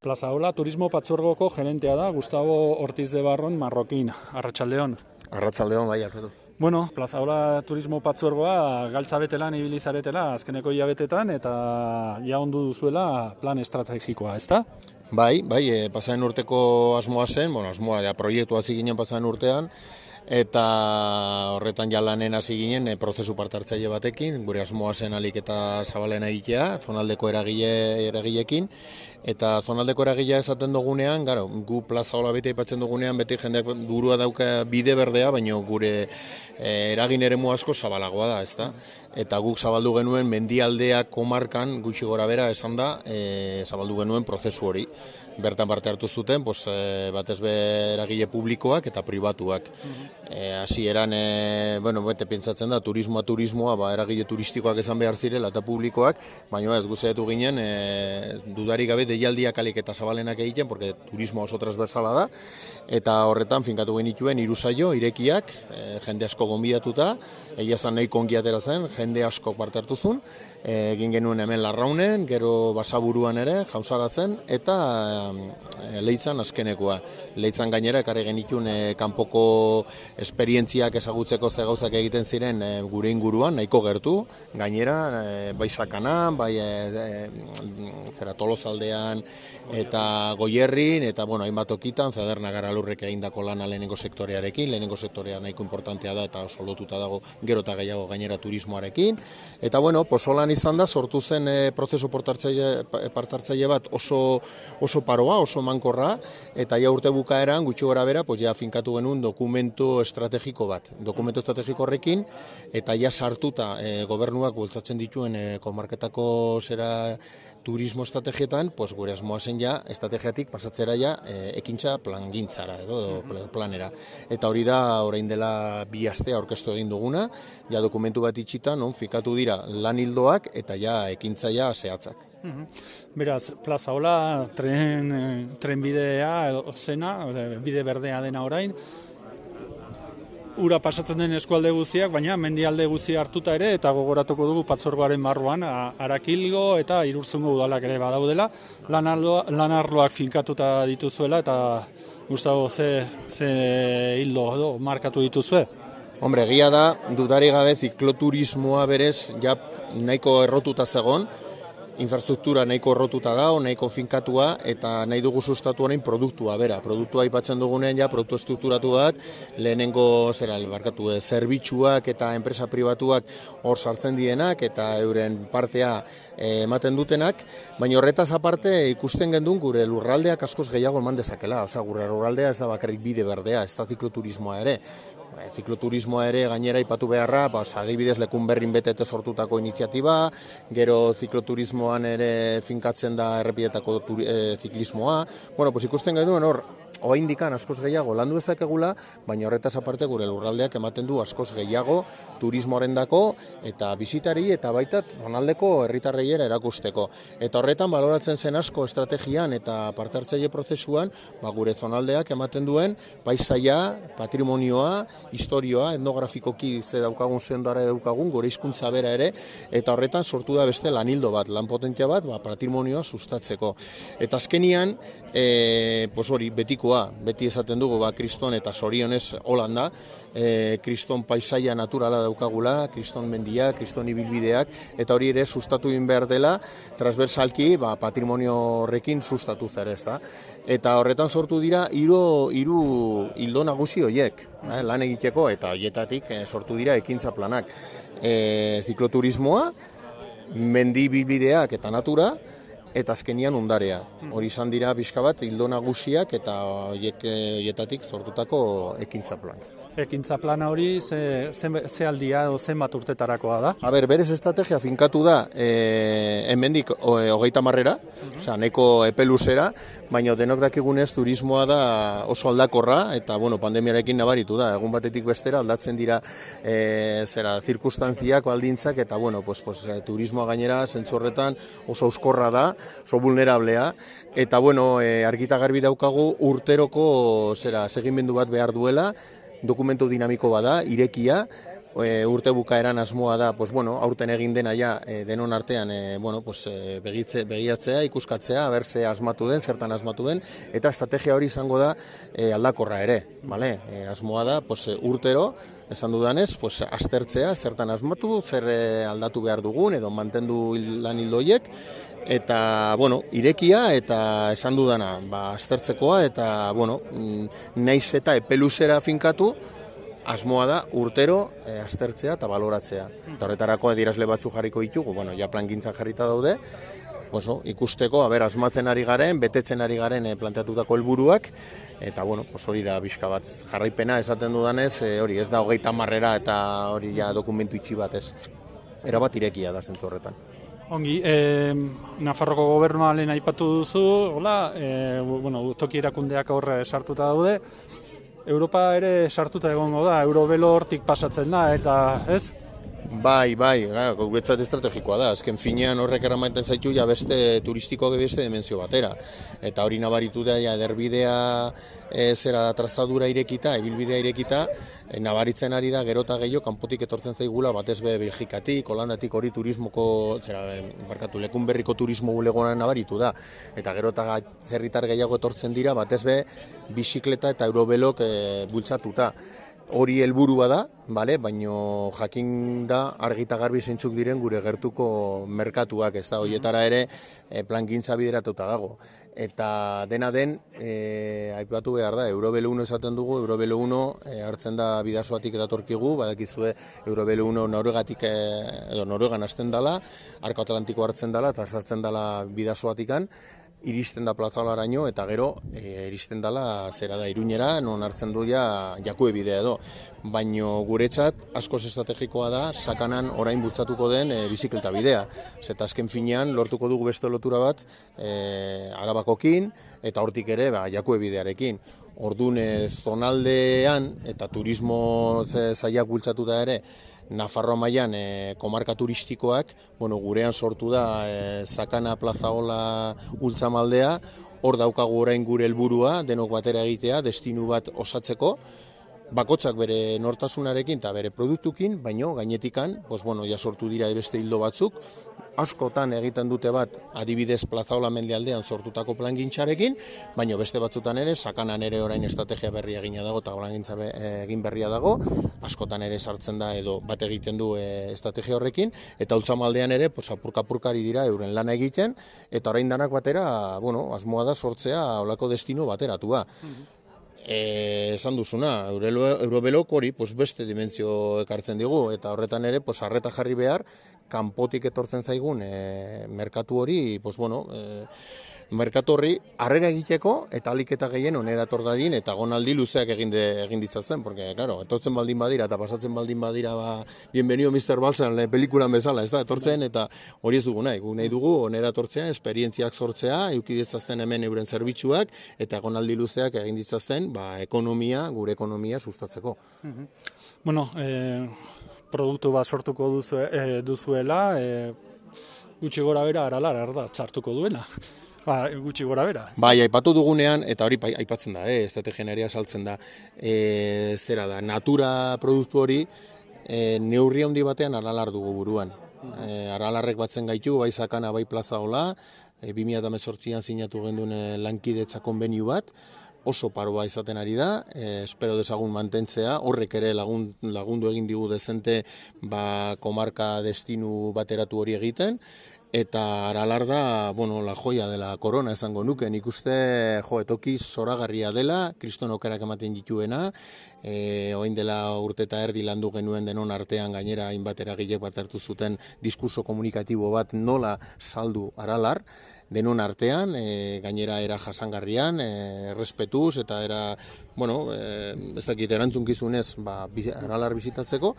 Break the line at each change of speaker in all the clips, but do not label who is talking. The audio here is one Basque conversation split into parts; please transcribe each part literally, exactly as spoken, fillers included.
Plazaola Turismo Patzuergoko gerentea da Gustavo Ortiz de Barron Marrokin, Arratsaldeon.
Arratsaldeon, bai, Alfredo.
Bueno, Plazaola Turismo Patzuergoa galtza betelan ibili zaretela azkeneko hilabetetan eta ja ondu duzuela plan estrategikoa, ezta?
Bai, bai, e, pasaren urteko asmoa zen, bueno, asmoa ja proiektua hasi ginen pasaren urtean, eta horretan ja lanen hasi ginen e, prozesu parte hartzaile batekin, gure asmoa zen alik eta zabalena egitea, zonaldeko eragile eragileekin, eta zonaldeko eragilea esaten dugunean, garo, gu Plazaola beti aipatzen dugunean, beti jendeak burua dauka bide berdea, baina gure e, eragin eremu asko zabalagoa da, ezta? Eta guk zabaldu genuen mendialdeak komarkan, gutxi gora bera esan da, e, zabaldu genuen prozesu hori. Bertan parte hartu zuten, pues, e, batez be eragile publikoak eta pribatuak. E, hasi eran, e, bueno, bete pentsatzen da, turismoa, turismoa, ba, eragile turistikoak esan behar zirela eta publikoak, baina ez guzeetu ginen, e, dudarik gabe deialdiak alik eta zabalenak egiten, porque turismo oso transversala da, eta horretan finkatu genituen hiru saio, irekiak, e, jende asko gonbidatuta, egia zan nahi kongi atera zen, jende asko parte hartu zuen, e, egin genuen hemen Larraunen, gero Basaburuan ere, jausaratzen, eta e, Leitzan azkenekoa. Leitzan gainera ekarri genituen e, kanpoko esperientziak ezagutzeko ze gauzak egiten ziren e, gure inguruan, nahiko gertu, gainera, e, bai Sakanan, bai e, e, zera Tolosaldean, eta Goierrin, eta bueno, hainbat tokitan, Zaderna Garalurrek egindako lana lehenengo sektorearekin, lehenengo sektorea nahiko importantea da, eta oso lotuta dago gero eta gehiago gainera turismoarekin, eta bueno, posolan izan da, sortu zen e, prozesu partartzaile bat oso, oso paroa, oso mankorra, eta ja urte bukaeran, gutxi gora bera, pues ja finkatu genuen dokumentu estrategiko bat. Dokumentu estrategiko horrekin, eta ja sartuta e, gobernuak bultzatzen dituen e, komarketako zera turismo estrategietan, pues gure asmoa zen ja, estrategiatik pasatzera ja e, ekintza plangintzara edo planera. Eta hori da, orain dela bi astea aurkeztu egin duguna, ja dokumentu bat itxita, non fikatu dira lan hildoak eta ja ekintza ja zehatzak.
Beraz, Plazaola tren, trenbidea zena, bide berdea dena orain, ura pasatzen den eskualde guztiak, baina mendialde guztia hartuta ere, eta gogoratuko dugu Patzuergoaren barruan, Arakilgo eta Irurzungo udalak ere badaudela, lan arloak finkatuta dituzuela, eta Gustavo, ze, ze hildo edo markatu dituzue?
Hombre, egia da, dudari gabe zikloturismoa berez, ja nahiko errotuta zegon, infrastruktura nahiko errotuta da, nahiko finkatua, eta nahi dugu sustatu orain produktua, bera. Produktua aipatzen dugunean, ja, produktu estrukturatu bat, lehenengo, zera, barkatu, zerbitzuak eta enpresa pribatuak hor sartzen dienak, eta euren partea eh, ematen dutenak, baina horretaz aparte ikusten gendun gure lurraldeak askoz gehiago eman dezakela. Osea, gure lurraldea ez da bakarrik bide berdea, ez da zikloturismoa ere. Zikloturismoa ere gainera ipatu beharra, ba, adibidez lekun berrin betete sortutako iniziatiba, gero zikloturismoan ere finkatzen da errepidetako e, ziklismoa. Bueno, pues ikusten genuen hor, oraindikan askoz gehiago landu dezakegula, baina horretaz aparte gure lurraldeak ematen du askoz gehiago turismoarendako eta bisitari eta baita zonaldeko herritarreiera erakusteko. Eta horretan baloratzen zen asko estrategian eta parte hartzaile prozesuan, ba, gure zonaldeak ematen duen paisaia, patrimonioa, historioa, etnografikoki ze daukagun zendara daukagun, gure hizkuntza bera ere, eta horretan sortu da beste lanildo bat, lan potentia bat, ba, patrimonioa sustatzeko. Eta azkenian, e, pues hori, betikoa, beti esaten dugu, ba, kriston eta zorionez holanda, e, kriston paisaia naturala daukagula, kriston mendia, kriston ibilbideak, eta hori ere sustatu egin behar dela, transversalki, ba, patrimonio horrekin sustatu zer ez da. Eta horretan sortu dira, hiru hiru hildo nagusi horiek, eh, lan egiteko, eta horietatik eh, sortu dira ekintza planak. E, zikloturismoa, mendi bibideak eta natura, eta azkenian ondarea. Hori izan dira pixka bat hildo nagusiak eta horietatik sortutako ekintza planak.
Ekintza plana hori ze, ze, ze aldia o zenbat urtetarakoa da?
A ber, berez estrategia finkatu da e, hemendik hogeita marrera, uh-huh. Osea, nahiko epe luzera, baina denok dakigunez turismoa da oso aldakorra, eta bueno, pandemiarekin nabaritu da, egun batetik bestera aldatzen dira e, zera, zirkunstantziak, baldintzak, eta bueno, pues, pues, turismoa gainera zentzu horretan oso euskorra da, oso vulnerablea, eta bueno, e, argita garbi daukagu urteroko zera, segimendu bat behar duela, dokumentu dinamiko bada, irekia, E, urte bukaeran asmoa da, pues, bueno, aurten egin dena ja, e, denon artean e, bueno, pues, e, begitze, begiatzea, ikuskatzea, ber ze asmatu den, zertan asmatu den, eta estrategia hori izango da e, aldakorra ere, vale? E, asmoa da, pues, urtero, esan dudanez, pues, aztertzea, zertan asmatu, zer e, aldatu behar dugun, edo mantendu lan hildoiek, eta, bueno, irekia eta esan dudana, ba, aztertzekoa, eta, bueno, naiz eta epeluzera finkatu, asmoa da urtero e, aztertzea eta baloratzea. Eta horretarako adierazle batzu jarriko ditugu, bueno, ja plangintzan jarrita daude, oso, ikusteko, aber, asmatzen ari garen, betetzen ari garen e, planteatutako helburuak, eta, bueno, pues hori da bizka bat jarraipena esaten dudanez, e, hori ez da hogeita marrera eta hori ja dokumentu itxi bat ez. Erabat irekia da zentzu horretan.
Ongi, eh, Nafarroko gobernua lehen aipatu duzu, hola, eh, bueno, toki erakundeak horre sartuta daude, Europa ere sartuta egongo da, Eurobelo hortik pasatzen da, eta ez?
Bai, bai, guretzat estrategikoa da, azken finean horrek eramaiten zaitu ja beste turistikoak beste dimensio batera. Eta hori nabaritu da, ja, ederbidea e, zera trazadura irekita, ibilbidea irekita, e, nabaritzen ari da gero eta gehiago kanpotik etortzen zaigula, batez be Belgikatik, Holandatik hori turismoko, zera, barkatu, lekun berriko turismo bulegonan nabaritu da. Eta gero eta zerritar gehiago etortzen dira, batez be bizikleta eta Eurobelok e, bultzatuta. Hori helburua da, bale, baino jakin da argita garbi zeintzuk diren gure gertuko merkatuak, ez da, horietara ere e, plangintza bideratuta dago. Eta dena den, e, aipatu behar da, Eurobelo uno esaten dugu, Eurobelo uno e, hartzen da bidasoatik datorkigu, badakizue Eurobelo uno Noruegatik, e, edo Noruegan hasten dela, Arko Atlantiko hartzen dela, eta sartzen dela bidasoatikan, iristen da plazalaraino eta gero e, iristen dela zera da Iruñera, non hartzen du ja jakue bidea edo. Baino guretzat askoz estrategikoa da sakanan orain bultzatuko den e, bizikleta bidea. Zeta azken finean lortuko dugu beste lotura bat e, Arabakokin eta hortik ere ba, jakue bidearekin. Orduan e, zonaldean eta turismo sailak bultzatuta ere Nafarroa mailan e, komarka turistikoak, bueno, gurean sortu da e, Sakana Plazaola ultzamaldea, hor daukagu orain gure helburua, denok batera egitea, destinu bat osatzeko, bakotzak bere nortasunarekin eta bere produktukin, baino gainetikan, pues, bueno, ja sortu dira beste hildo batzuk, askotan egiten dute bat, adibidez Plazaola mendialdean sortutako plangintzarekin, baino beste batzutan ere, Sakanan ere orain estrategia berria egina dago eta plangintza be, egin berria dago, askotan ere sartzen da edo bat egiten du e, estrategia horrekin, eta ultzamaldean ere, pues, apurka-apurkari dira euren lana egiten, eta orain danak batera, bueno, asmoa da sortzea olako destino bateratua. E, esan duzuna, Eurobelok hori pues, beste dimentsio ekartzen digu, eta horretan ere pues, arreta jarri behar, kanpotik etortzen zaigun e, merkatu hori, pues, bueno, e, merkatu horri harrera egiteko eta alik eta gehien onera etor dadin eta gonaldi luzeak egin, de, egin ditzatzen, porque, claro, etortzen baldin badira eta pasatzen baldin badira, ba, bienvenido mister Balsan, le pelikulan bezala, ez da, etortzen, eta hori ez dugu nahi, gu nahi dugu onera etortzea, esperientziak sortzea, eukiditzazten hemen euren zerbitzuak, eta gonaldi luzeak egin ditzazten, ba, ekonomia, gure ekonomia sustatzeko.
Mm-hmm. Bueno, eh, produktu bat sortuko duzu, eh, duzuela, eh, gutxi gora bera aralar, arda, txartuko duena. Ba, gutxi gora bera.
Bai, aipatu dugunean, eta hori aipatzen da, eh, estrategiaria saltzen da, e, zera da, natura produktu hori e, neurri handi batean aralar dugu buruan. E, aralarrek batzen gaitu, bai Sakana, bai Plazaola, e, bi mila hemezortzian sinatu genduen e, lankidetza konbenio bat, oso paroa izaten ari da, e, espero dezagun mantentzea, horrek ere lagun, lagundu egin digu dezente ba, komarka destinu bateratu hori egiten, eta aralar da, bueno, la joia dela korona esango nuke, nik uste jo, etoki zoragarria dela, kriston okerak ematen dituena, e, oin dela urte eta erdi landu genuen denon artean gainera hainbat eragilek bat hartu zuten diskurso komunikatibo bat nola saldu aralar, denon artean, e, gainera era jasangarrian, e, respetuz eta era, bueno, e, ez dakit erantzunkizunez, ba, aralar bizitatzeko,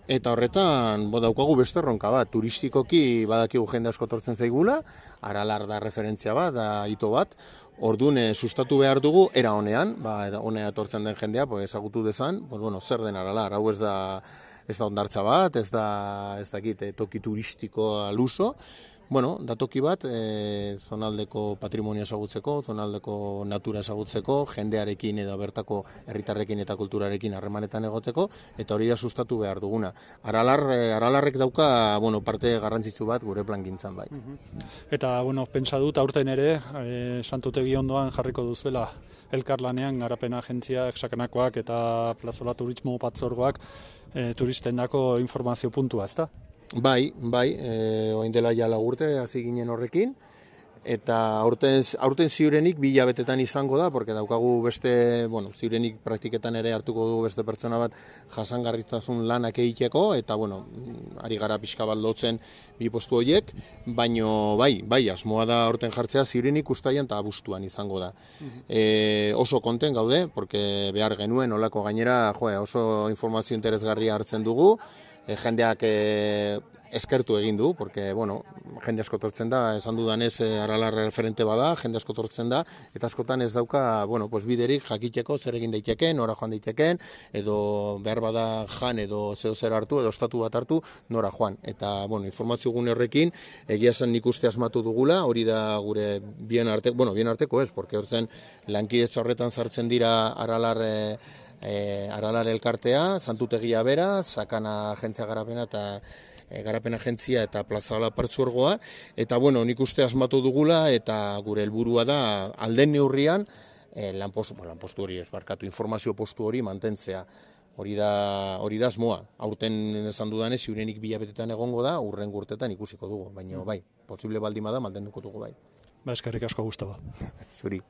eta horretan, bo, daukagu beste erronka bat, turistikoki badakigu jende asko tortzen zaigula, aralar da referentzia bat, da hito bat, orduan e, sustatu behar dugu, era honean, ba, honea etortzen den jendea, pues, ezagutu dezan, pues, bueno, zer den aralar, hau ez da, ez da ondartza bat, ez da, ez dakit, toki turistiko aluso, bueno, datoki bat, e, zonaldeko patrimonio ezagutzeko, zonaldeko natura ezagutzeko, jendearekin edo bertako herritarrekin eta kulturarekin harremanetan egoteko, eta hori da sustatu behar duguna. Aralar, e, Aralarrek dauka, bueno, parte garrantzitsu bat gure plangintzan bai.
Eta, bueno, pentsa dut, aurten ere, e, Santutegi ondoan jarriko duzuela elkarlanean garapen agentziak, sakanakoak eta plazola turismo batzorgoak e, turistendako informazio puntua, ezta?
Bai, bai, e, oin dela ja lagurte hasi ginen horrekin, eta aurten, aurten ziurenik bi hilabetetan izango da, porque daukagu beste, bueno, ziurenik praktiketan ere hartuko dugu beste pertsona bat jasangarritasun lanak egiteko, eta, bueno, ari gara pixka bat lotzen bi postu horiek, baino, bai, bai, asmoa da aurten jartzea ziurenik ustaian eta abuztuan izango da. E, oso konten gaude, porque behar genuen olako gainera, jo, oso informazio interesgarria hartzen dugu, e, jendeak e, eskertu egin du, porque, bueno, jende asko tortzen da, esan dudanez e, Aralar referente bada, jende asko tortzen da, eta askotan ez dauka, bueno, pues biderik jakiteko zer egin daiteken, nora joan daiteken, edo behar bada jan edo zeo zer hartu, edo ostatu bat hartu, nora joan. Eta, bueno, informazio gune horrekin, egia esan nik uste asmatu dugula, hori da gure bien arteko, bueno, bien arteko ez, porque hortzen lankidetza horretan sartzen dira Aralar e, e, Aralar elkartea, Santutegia bera, Sakana agentzia garapena eta garapen agentzia eta plazola partzuergoa, eta bueno, nik uste asmatu dugula, eta gure helburua da alden neurrian, eh, lanpostu, bueno, lanpostu hori ez barkatu, informazio postu hori mantentzea. Hori da, hori da asmoa. Aurten esan dudanez, ziurenik bilabetetan egongo da, urren urtetan ikusiko dugu, baina bai, posible baldin bada mantenduko dugu bai.
Ba, eskerrik asko Gustavo.
Zuri.